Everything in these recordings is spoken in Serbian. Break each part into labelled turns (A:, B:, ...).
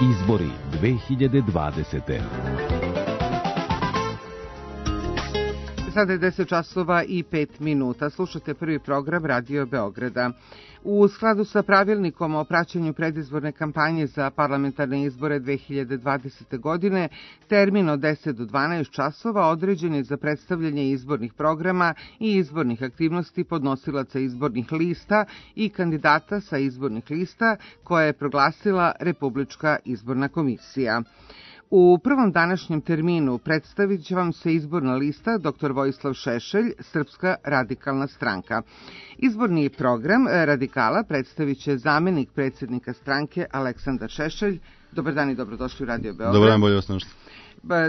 A: Izbori 2020.
B: Sada je 10 časova i 5 minuta. Slušate prvi program Radio Beograda. U skladu sa pravilnikom o praćenju predizborne kampanje za parlamentarne izbore 2020. godine, termin od 10 do 12 časova određen je za predstavljanje izbornih programa i izbornih aktivnosti podnosilaca izbornih lista i kandidata sa izbornih lista koje je proglasila Republička izborna komisija. U prvom današnjem terminu predstavit će vam se izborna lista dr. Vojislav Šešelj, Srpska radikalna stranka. Izborni program radikala predstavit će zamenik predsjednika stranke Aleksandar Šešelj. Dobar dan i dobrodošli u Radio Beograd.
C: Dobar dan, bolje vas našli.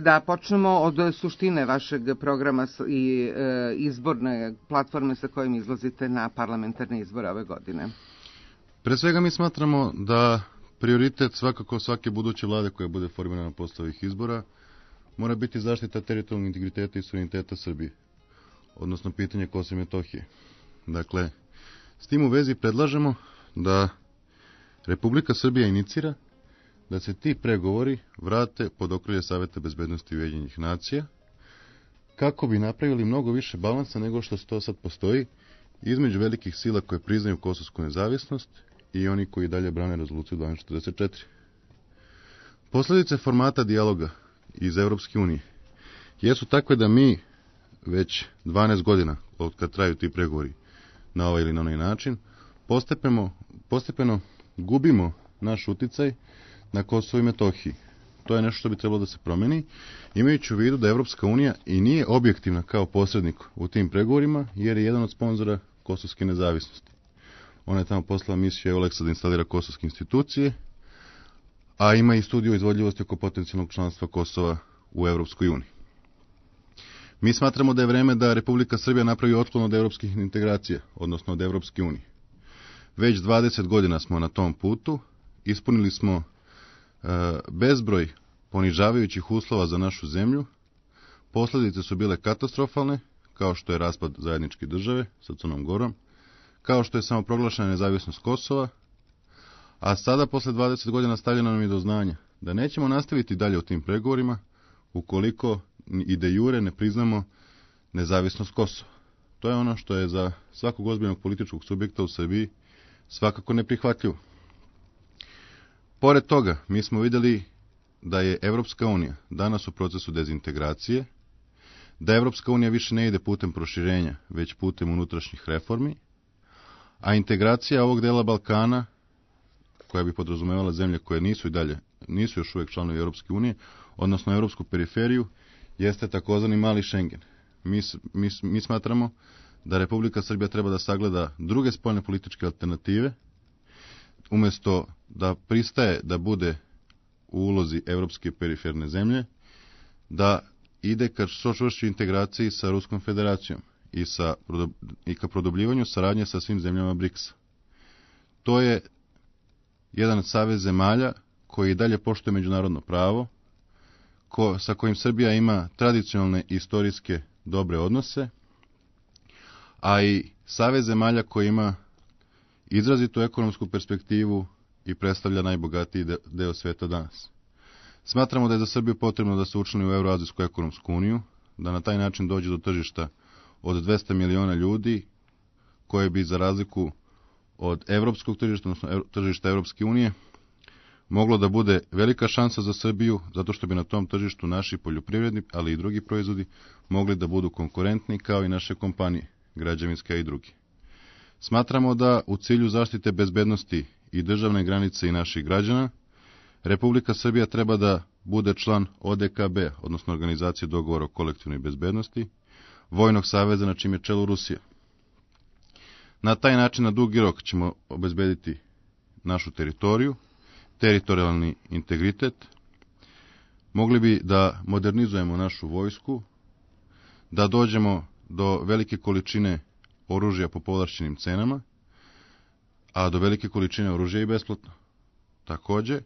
B: Da počnemo od suštine vašeg programa i izborne platforme sa kojim izlazite na parlamentarne izbore ove godine.
C: Pre svega mi smatramo da prioritet svakako svake buduće vlade koja bude formirana posle ovih izbora mora biti zaštita teritorijalnog integriteta i suvereniteta Srbije, odnosno pitanje Kosova i Metohije. Dakle, s tim u vezi predlažemo da Republika Srbija inicira da se ti pregovori vrate pod okrilje Saveta bezbednosti Ujedinjenih nacija, kako bi napravili mnogo više balansa nego što to sad postoji između velikih sila koje priznaju kosovsku nezavisnost i oni koji dalje brane rezoluciju 1244. Posljedice formata dijaloga iz Europske unije jesu takve da mi već 12 godina, od kad traju ti pregovori na ovaj ili na onaj način, postepeno gubimo naš uticaj na Kosovo i Metohiji. To je nešto što bi trebalo da se promeni, imajući u vidu da Europska unija i nije objektivna kao posrednik u tim pregovorima, jer je jedan od sponzora kosovske nezavisnosti. Ona je tamo poslala misiju EULEX-a da instalira kosovske institucije, a ima i studiju izvodljivosti oko potencijalnog članstva Kosova u Europskoj uniji. Mi smatramo da je vreme da Republika Srbija napravi otklon od europskih integracija, odnosno od Europske unije. Već 20 godina smo na tom putu, ispunili smo bezbroj ponižavajućih uslova za našu zemlju, posljedice su bile katastrofalne, kao što je raspad zajedničke države sa Crnom Gorom, kao što je samoproglašena nezavisnost Kosova, a sada posle 20 godina stavljeno nam je do znanja da nećemo nastaviti dalje u tim pregovorima ukoliko i de jure ne priznamo nezavisnost Kosova. To je ono što je za svakog ozbiljnog političkog subjekta u Srbiji svakako neprihvatljivo. Pored toga, mi smo vidjeli da je Evropska unija danas u procesu dezintegracije, da Evropska unija više ne ide putem proširenja, već putem unutrašnjih reformi, a integracija ovog dela Balkana, koja bi podrazumevala zemlje koje nisu još uvijek članovi Europske unije, odnosno europsku periferiju, jeste takozvani mali Schengen. Mi smatramo da Republika Srbija treba da sagleda druge spoljne političke alternative, umjesto da pristaje da bude u ulozi europske periferne zemlje, da ide ka što čvršćoj integraciji sa Ruskom federacijom i ka produbljivanju saradnje sa svim zemljama BRICS-a. To je jedan savez zemalja koji dalje poštuje međunarodno pravo, sa kojim Srbija ima tradicionalne i istorijske dobre odnose, a i savez zemalja koji ima izrazitu ekonomsku perspektivu i predstavlja najbogatiji deo sveta danas. Smatramo da je za Srbiju potrebno da se učlani u Euroazijsku ekonomsku uniju, da na taj način dođe do tržišta od 200 miliona ljudi, koje bi za razliku od evropskog tržišta, odnosno tržišta Europske unije, moglo da bude velika šansa za Srbiju, zato što bi na tom tržištu naši poljoprivredni, ali i drugi proizvodi, mogli da budu konkurentni kao i naše kompanije, građevinske i drugi. Smatramo da u cilju zaštite bezbednosti i državne granice i naših građana, Republika Srbija treba da bude član ODKB, odnosno Organizacije dogovora o kolektivnoj bezbednosti, vojnog saveza na čim je čelu Rusija. Na taj način na dugi rok ćemo obezbediti našu teritoriju, teritorijalni integritet, mogli bi da modernizujemo našu vojsku, da dođemo do velike količine oružja po povlašćenim cenama, a do velike količine oružja i besplatno. Također,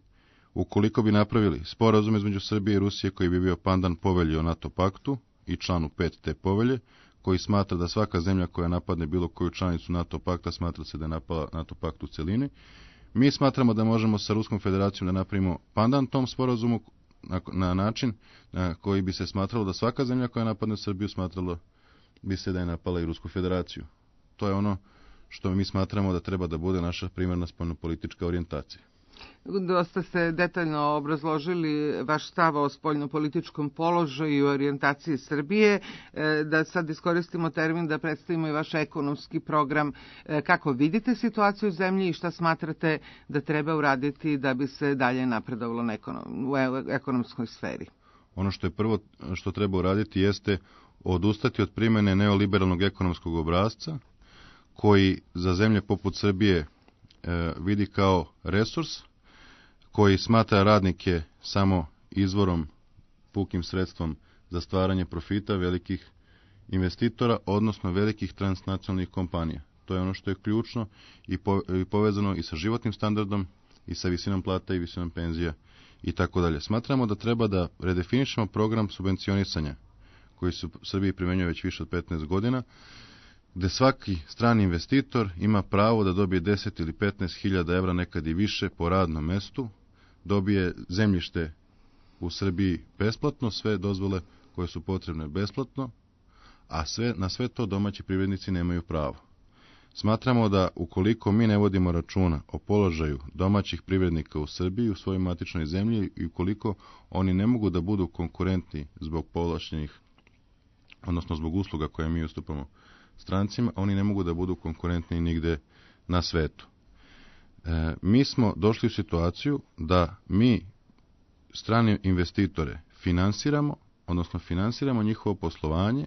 C: ukoliko bi napravili sporazum između Srbije i Rusije koji bi bio pandan povelji o NATO paktu i članu 5 te povelje, koji smatra da svaka zemlja koja napadne bilo koju članicu NATO pakta smatra se da je napala NATO pakt u celini, Mi smatramo da možemo sa Ruskom federacijom da napravimo pandan tom sporazumu na način na koji bi se smatralo da svaka zemlja koja napadne Srbiju smatralo bi se da je napala i Rusku federaciju. To je ono što mi smatramo da treba da bude naša primarna spoljnopolitička orijentacija.
B: Dosta ste detaljno obrazložili vaš stav o spoljnopolitičkom položaju i orijentaciji Srbije. Da sad iskoristimo termin da predstavimo i vaš ekonomski program. Kako vidite situaciju u zemlji i šta smatrate da treba uraditi da bi se dalje napredovalo u ekonomskoj sferi?
C: Ono što je prvo što treba uraditi jeste odustati od primjene neoliberalnog ekonomskog obrasca koji za zemlje poput Srbije vidi kao resurs, koji smatra radnike samo izvorom, pukim sredstvom za stvaranje profita velikih investitora, odnosno velikih transnacionalnih kompanija. To je ono što je ključno i povezano i sa životnim standardom, i sa visinom plata i visinom penzija i tako dalje. Smatramo da treba da redefinišemo program subvencionisanja koji se u Srbiji primenjuje već više od 15 godina, gde svaki strani investitor ima pravo da dobije 10 ili 15 hiljada evra, nekad i više, po radnom mestu, dobije zemljište u Srbiji besplatno, sve dozvole koje su potrebne besplatno, a na sve to domaći privrednici nemaju pravo. Smatramo da ukoliko mi ne vodimo računa o položaju domaćih privrednika u Srbiji, u svojoj matičnoj zemlji, i ukoliko oni ne mogu da budu konkurentni zbog povlašćenih, odnosno zbog usluga koje mi ustupamo strancima, oni ne mogu da budu konkurentni nigde na svetu. Mi smo došli u situaciju da mi strane investitore finansiramo njihovo poslovanje,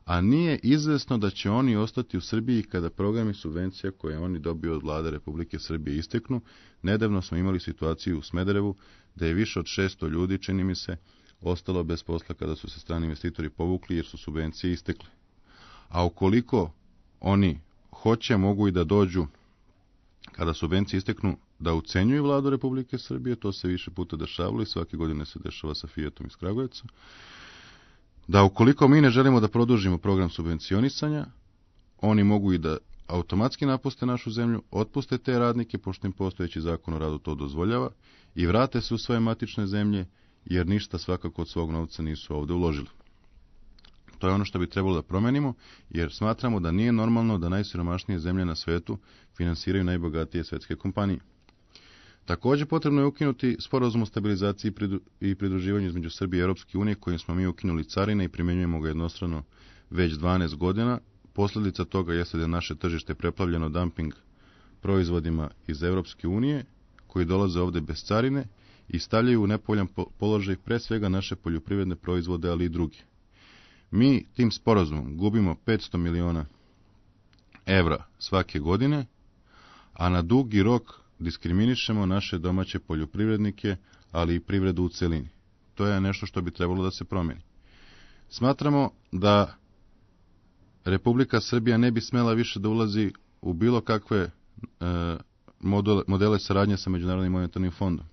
C: a nije izvesno da će oni ostati u Srbiji kada programi subvencija koje oni dobiju od vlade Republike Srbije isteknu. Nedavno smo imali situaciju u Smederevu da je više od 600 ljudi, čini mi se, ostalo bez posla kada su se strani investitori povukli jer su subvencije istekle. A ukoliko oni hoće, mogu i da dođu kada subvencije isteknu da ucenjuju vladu Republike Srbije, to se više puta dešavalo i svake godine se dešava sa Fiatom iz Kragujevca, da ukoliko mi ne želimo da produžimo program subvencionisanja, oni mogu i da automatski napuste našu zemlju, otpuste te radnike, pošto im postojeći zakon o radu to dozvoljava, i vrate se u svoje matične zemlje, jer ništa svakako od svog novca nisu ovde uložili. To je ono što bi trebalo da promenimo, jer smatramo da nije normalno da najsiromašnije zemlje na svetu finansiraju najbogatije svetske kompanije. Također potrebno je ukinuti sporazum o stabilizaciji i pridruživanju između Srbije i Europske unije, kojim smo mi ukinuli carine i primjenjujemo ga jednostrano već 12 godina. Posljedica toga jeste da je naše tržište preplavljeno dumping proizvodima iz Europske unije, koji dolaze ovde bez carine i stavljaju u nepovoljan položaj pre svega naše poljoprivredne proizvode, ali i druge. Mi tim sporazumom gubimo 500 miliona evra svake godine, a na dugi rok diskriminišemo naše domaće poljoprivrednike, ali i privredu u celini. To je nešto što bi trebalo da se promeni. Smatramo da Republika Srbija ne bi smela više da ulazi u bilo kakve modele saradnje sa Međunarodnim monetarnim fondom,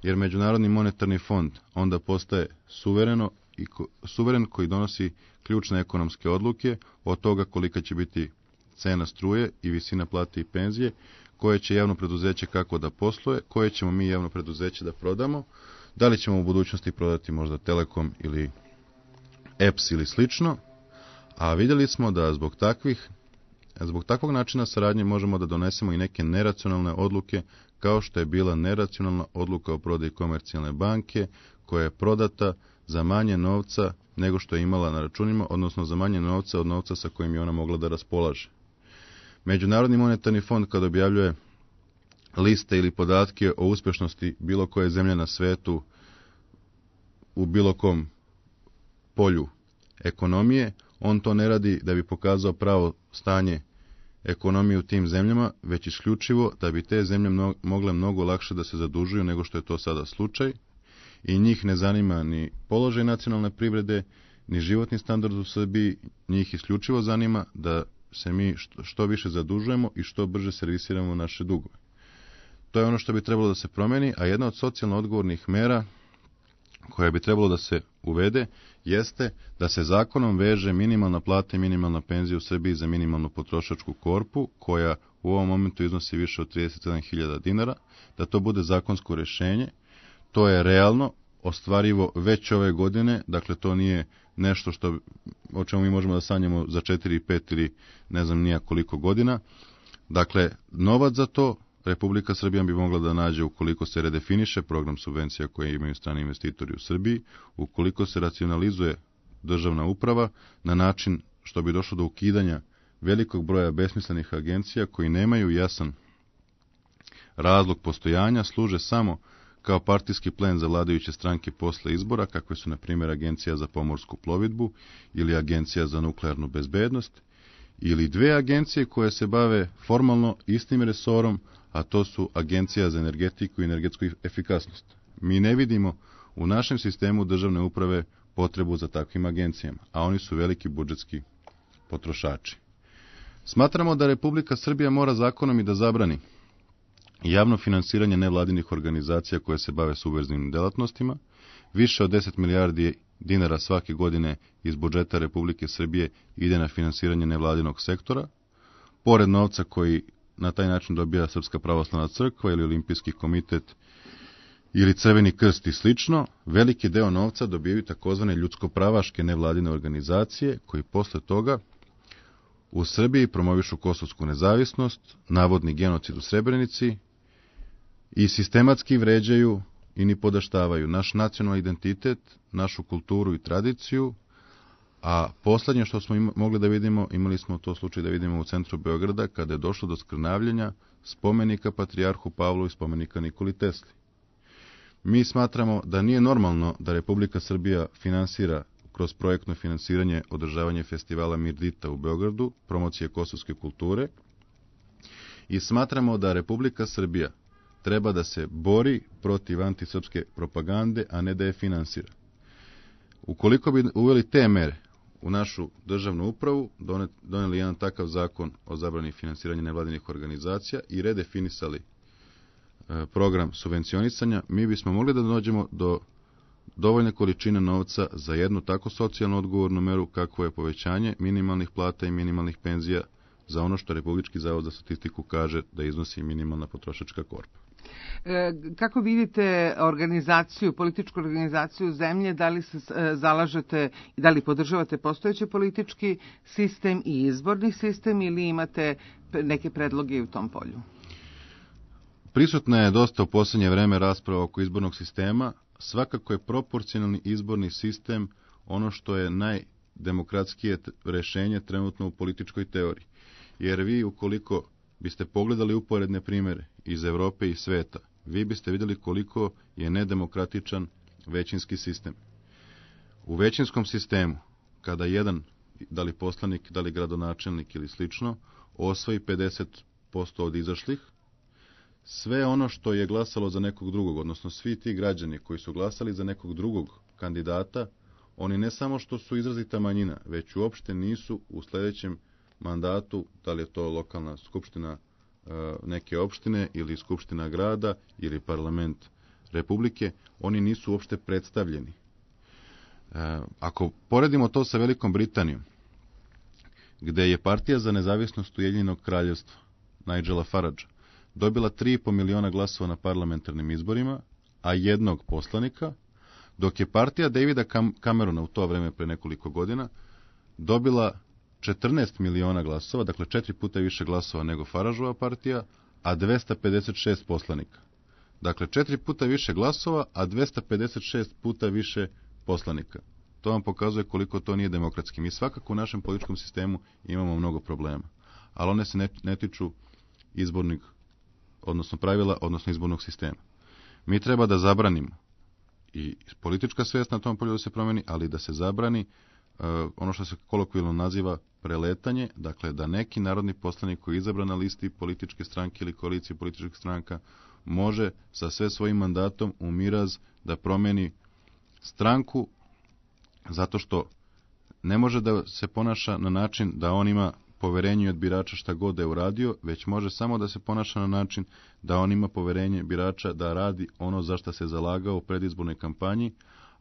C: jer Međunarodni monetarni fond onda postaje suveren koji donosi ključne ekonomske odluke od toga kolika će biti cena struje i visina plate i penzije, koje će javno preduzeće kako da posluje, koje ćemo mi javno preduzeće da prodamo, da li ćemo u budućnosti prodati možda Telekom ili EPS ili slično, a vidjeli smo da zbog takvog načina saradnje možemo da donesemo i neke neracionalne odluke, kao što je bila neracionalna odluka o prodaji Komercijalne banke, koja je prodata za manje novca nego što je imala na računima, odnosno za manje novca od novca sa kojim je ona mogla da raspolaže. Međunarodni monetarni fond, kada objavljuje liste ili podatke o uspešnosti bilo koje zemlje na svetu u bilo kom polju ekonomije, on to ne radi da bi pokazao pravo stanje ekonomije u tim zemljama, već isključivo da bi te zemlje mogle mnogo lakše da se zadužuju nego što je to sada slučaj, i njih ne zanima ni položaj nacionalne privrede, ni životni standard u Srbiji, njih isključivo zanima da se mi što više zadužujemo i što brže servisiramo naše dugove. To je ono što bi trebalo da se promeni, a jedna od socijalno odgovornih mera koja bi trebalo da se uvede jeste da se zakonom veže minimalna plata i minimalna penzija u Srbiji za minimalnu potrošačku korpu, koja u ovom momentu iznosi više od 37.000 dinara, da to bude zakonsko rješenje. To je realno, ostvarivo već ove godine, dakle to nije nešto o čemu mi možemo da sanjamo za 4, 5 ili ne znam nija koliko godina. Dakle, novac za to Republika Srbija bi mogla da nađe ukoliko se redefiniše program subvencija koje imaju strani investitori u Srbiji, ukoliko se racionalizuje državna uprava na način što bi došlo do ukidanja velikog broja besmislenih agencija koji nemaju jasan razlog postojanja, služe samo kao partijski plen za vladajuće stranke posle izbora, kakve su, na primjer, Agencija za pomorsku plovidbu ili Agencija za nuklearnu bezbednost, ili dve agencije koje se bave formalno istim resorom, a to su Agencija za energetiku i energetsku efikasnost. Mi ne vidimo u našem sistemu državne uprave potrebu za takvim agencijama, a oni su veliki budžetski potrošači. Smatramo da Republika Srbija mora zakonom i da zabrani javno finansiranje nevladinih organizacija koje se bave subverzivnim delatnostima. Više od 10 milijardi dinara svake godine iz budžeta Republike Srbije ide na finansiranje nevladinog sektora, pored novca koji na taj način dobija Srpska pravoslavna crkva ili Olimpijski komitet ili Crveni krst i slično. Veliki deo novca dobijaju takozvane ljudsko-pravaške nevladine organizacije koji posle toga u Srbiji promovišu kosovsku nezavisnost, navodni genocid u Srebrenici i sistematski vređaju i nipodaštavaju naš nacionalni identitet, našu kulturu i tradiciju, a poslednje što smo mogli da vidimo, imali smo to slučaj da vidimo u centru Beograda, kada je došlo do skrnavljenja spomenika Patrijarhu Pavlu i spomenika Nikoli Tesli. Mi smatramo da nije normalno da Republika Srbija finansira kroz projektno finansiranje održavanje festivala Mirdita u Beogradu, promocije kosovske kulture, i smatramo da Republika Srbija treba da se bori protiv antisrpske propagande, a ne da je finansira. Ukoliko bi uveli te mere u našu državnu upravu, doneli jedan takav zakon o zabrani finansiranja nevladinih organizacija i redefinisali program subvencionisanja, mi bismo mogli da dođemo do dovoljne količine novca za jednu tako socijalno odgovornu meru kakvo je povećanje minimalnih plata i minimalnih penzija za ono što Republički zavod za statistiku kaže da iznosi minimalna potrošačka korpa.
B: Kako vidite organizaciju, političku organizaciju zemlje, da li se zalažete i da li podržavate postojeći politički sistem i izborni sistem ili imate neke predloge u tom polju?
C: Prisutna je dosta u posljednje vreme rasprava oko izbornog sistema. Svakako je proporcionalni izborni sistem ono što je najdemokratskije rešenje trenutno u političkoj teoriji. Jer vi, ukoliko biste pogledali uporedne primere iz Evrope i sveta, vi biste vidjeli koliko je nedemokratičan većinski sistem. U većinskom sistemu, kada jedan, da li poslanik, da li gradonačelnik ili slično, osvoji 50% od izašlih, sve ono što je glasalo za nekog drugog, odnosno svi ti građani koji su glasali za nekog drugog kandidata, oni ne samo što su izrazita manjina, već uopšte nisu u sljedećem mandatu, da li je to lokalna skupština neke opštine ili skupština grada ili parlament republike, oni nisu uopšte predstavljeni. Ako poredimo to sa Velikom Britanijom, gde je Partija za nezavisnost Ujedinjenog kraljevstva, Nigela Faragea, dobila 3,5 miliona glasova na parlamentarnim izborima, a jednog poslanika, dok je partija Davida Camerona u to vreme pre nekoliko godina dobila 14 miliona glasova, dakle 4 puta više glasova nego Farageova partija, a 256 poslanika. Dakle, 4 puta više glasova, a 256 puta više poslanika. To vam pokazuje koliko to nije demokratski. Mi svakako u našem političkom sistemu imamo mnogo problema, ali one se ne tiču izbornih, odnosno pravila, odnosno izbornog sistema. Mi treba da zabranimo i politička svijest na tom polju da se promeni, ali da se zabrani ono što se kolokvijalno naziva preletanje, dakle da neki narodni poslanik koji je izabran na listi političke stranke ili koalicije političkih stranka može sa sve svojim mandatom u miraz da promeni stranku zato što ne može da se ponaša na način da on ima poverenje od birača šta god da je uradio, već može samo da se ponaša na način da on ima poverenje birača da radi ono za što se zalagao u predizbornoj kampanji,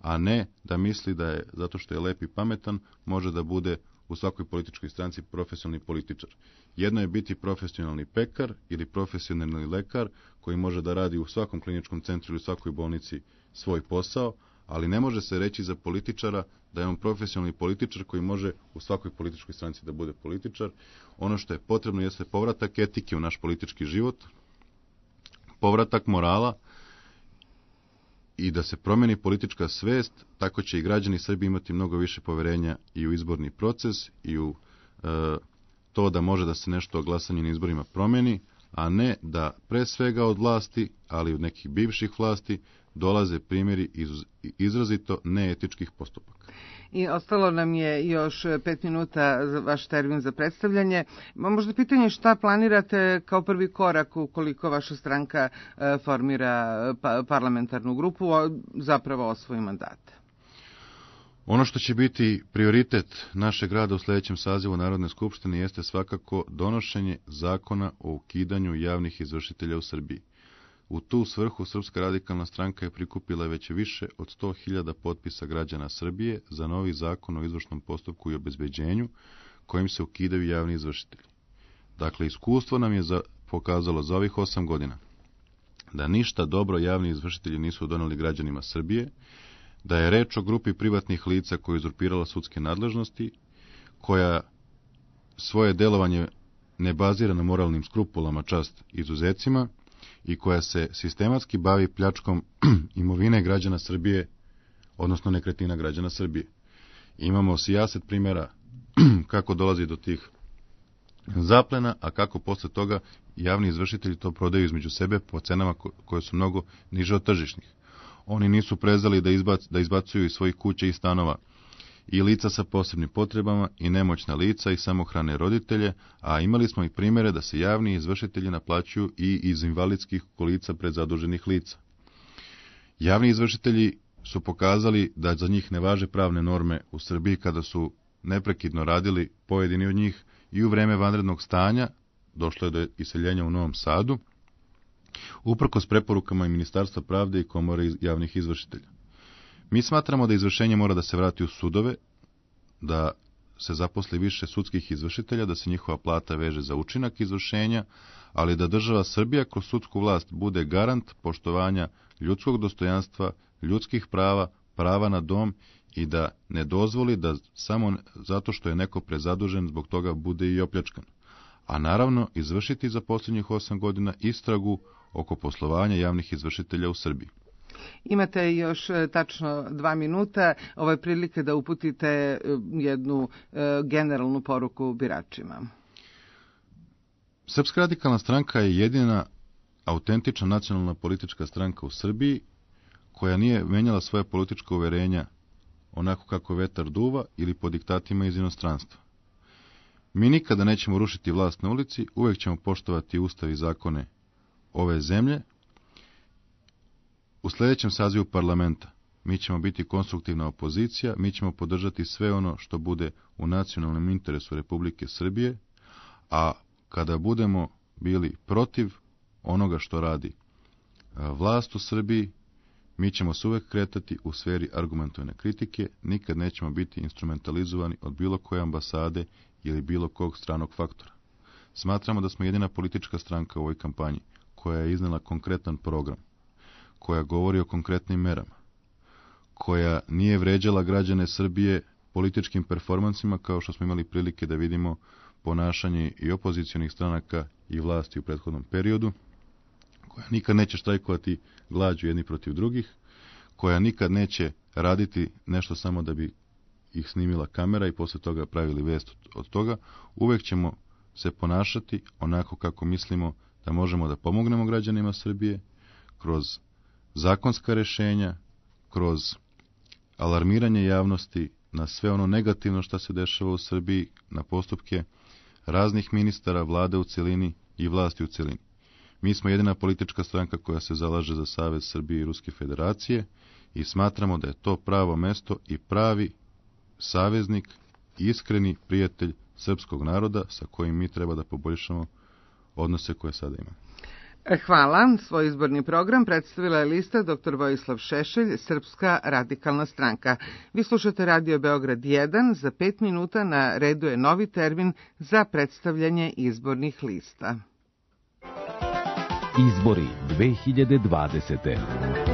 C: a ne da misli da je, zato što je lep i pametan, može da bude u svakoj političkoj stranci profesionalni političar. Jedno je biti profesionalni pekar ili profesionalni lekar koji može da radi u svakom kliničkom centru ili u svakoj bolnici svoj posao, ali ne može se reći za političara da je on profesionalni političar koji može u svakoj političkoj stranci da bude političar. Ono što je potrebno jeste povratak etike u naš politički život, povratak morala i da se promeni politička svest, tako će i građani Srbije imati mnogo više poverenja i u izborni proces i u to da može da se nešto o glasanju na izborima promeni, a ne da pre svega od vlasti, ali od nekih bivših vlasti, dolaze primjeri izrazito neetičkih postupaka.
B: I ostalo nam je još 5 minuta za vaš termin za predstavljanje. Možda pitanje šta planirate kao prvi korak ukoliko vaša stranka formira parlamentarnu grupu, zapravo osvoji mandate?
C: Ono što će biti prioritet našeg rada u sljedećem sazivu Narodne skupštine jeste svakako donošenje zakona o ukidanju javnih izvršitelja u Srbiji. U tu svrhu Srpska radikalna stranka je prikupila već više od 100.000 potpisa građana Srbije za novi zakon o izvršnom postupku i obezbeđenju kojim se ukidaju javni izvršitelji. Dakle, iskustvo nam je pokazalo za ovih 8 godina da ništa dobro javni izvršitelji nisu doneli građanima Srbije, da je reč o grupi privatnih lica koja je uzurpirala sudske nadležnosti, koja svoje delovanje ne bazira na moralnim skrupulama, čast izuzecima, i koja se sistematski bavi pljačkom imovine građana Srbije, odnosno nekretnina građana Srbije. Imamo sijaset primjera kako dolazi do tih zaplena, a kako posle toga javni izvršitelji to prodaju između sebe po cenama koje su mnogo niže od tržišnih. Oni nisu prezali da izbacuju iz svojih kuća i stanova i lica sa posebnim potrebama i nemoćna lica i samohrane roditelje, a imali smo i primjere da se javni izvršitelji naplaćuju i iz invalidskih kolica prezaduženih lica. Javni izvršitelji su pokazali da za njih ne važe pravne norme u Srbiji kada su neprekidno radili pojedini od njih i u vreme vanrednog stanja, došlo je do iseljenja u Novom Sadu, uprkos preporukama i Ministarstva pravde i Komore javnih izvršitelja. Mi smatramo da izvršenje mora da se vrati u sudove, da se zaposli više sudskih izvršitelja, da se njihova plata veže za učinak izvršenja, ali da država Srbija kroz sudsku vlast bude garant poštovanja ljudskog dostojanstva, ljudskih prava, prava na dom i da ne dozvoli da samo zato što je neko prezadužen zbog toga bude i opljačkan. A naravno izvršiti za posljednjih 8 godina istragu oko poslovanja javnih izvršitelja u Srbiji.
B: Imate još tačno 2 minuta, ovo je prilike da uputite jednu generalnu poruku biračima.
C: Srpska radikalna stranka je jedina autentična nacionalna politička stranka u Srbiji koja nije menjala svoje političko uverenja onako kako vetar duva ili po diktatima iz inostranstva. Mi nikada nećemo rušiti vlast na ulici, uvek ćemo poštovati ustav i zakone ove zemlje. U sljedećem sazivu parlamenta mi ćemo biti konstruktivna opozicija, mi ćemo podržati sve ono što bude u nacionalnom interesu Republike Srbije, a kada budemo bili protiv onoga što radi vlast u Srbiji, mi ćemo se uvek kretati u sferi argumentovane kritike, nikad nećemo biti instrumentalizovani od bilo koje ambasade ili bilo kog stranog faktora. Smatramo da smo jedina politička stranka u ovoj kampanji koja je iznela konkretan program, koja govori o konkretnim merama, koja nije vređala građane Srbije političkim performansima kao što smo imali prilike da vidimo ponašanje i opozicionih stranaka i vlasti u prethodnom periodu, koja nikad neće štrajkovati glađu jedni protiv drugih, koja nikad neće raditi nešto samo da bi ih snimila kamera i posle toga pravili vest od toga. Uvek ćemo se ponašati onako kako mislimo da možemo da pomognemo građanima Srbije kroz zakonska rešenja, kroz alarmiranje javnosti na sve ono negativno što se dešava u Srbiji, na postupke raznih ministara, vlade u celini i vlasti u celini. Mi smo jedina politička stranka koja se zalaže za Savez Srbije i Ruske federacije i smatramo da je to pravo mesto i pravi saveznik, iskreni prijatelj srpskog naroda sa kojim mi treba da poboljšamo odnose koje sada imamo.
B: Hvala. Svoj izborni program predstavila je lista dr. Vojislav Šešelj, Srpska radikalna stranka. Vi slušate Radio Beograd 1. Za 5 minuta na redu je novi termin za predstavljanje izbornih lista.
A: Izbori 2020.